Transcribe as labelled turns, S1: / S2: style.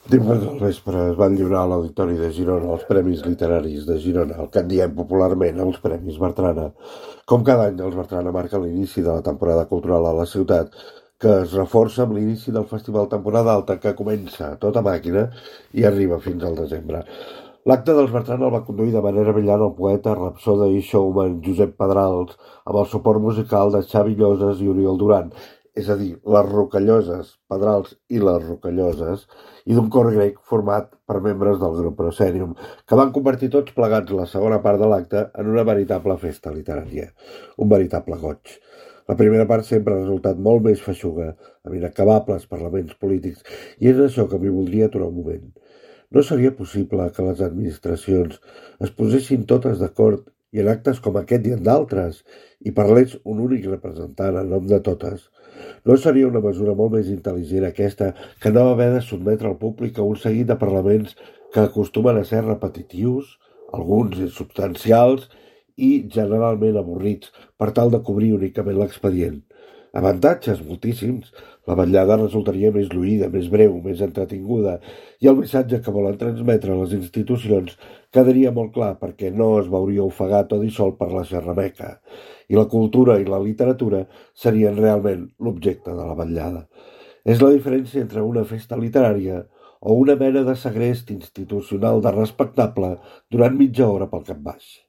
S1: Dimarts al vespre es van lliurar a l'Auditori de Girona els Premis Literaris de Girona, el que en diem popularment els Premis Bertrana. Com cada any, els Bertrana marquen l'inici de la temporada cultural a la ciutat, que es reforça amb l'inici del Festival Temporada Alta, que comença a tota màquina i arriba fins al desembre. L'acte dels Bertrana el va conduir de manera brillant el poeta, rapsoda i showman Josep Pedrals, amb el suport musical de Xavi Lloses i Oriol Duran, és a dir, les Rocalloses, Pedrals i les Rocalloses, i d'un cor grec format per membres del grup Proscenium, que van convertir tots plegats la segona part de l'acte en una veritable festa literària, un veritable goig. La primera part sempre ha resultat molt més feixuga, amb inacabables parlaments polítics, i és això que m'hi voldria aturar un moment. No seria possible que les administracions es posessin totes d'acord i en actes com aquest i en d'altres, i parlés un únic representant en nom de totes. No seria una mesura molt més intel·ligent aquesta que no haver de sotmetre al públic a un seguit de parlaments que acostumen a ser repetitius, alguns insubstancials i generalment avorrits, per tal de cobrir únicament l'expedient. Avantatges moltíssims. La vetllada resultaria més lluïda, més breu, més entretinguda, i el missatge que volen transmetre les institucions quedaria molt clar perquè no es veuria ofegat o dissolt per la xerrameca, i la cultura i la literatura serien realment l'objecte de la vetllada. És la diferència entre una festa literària o una mena de segrest institucional de respectable durant mitja hora pel cap baix.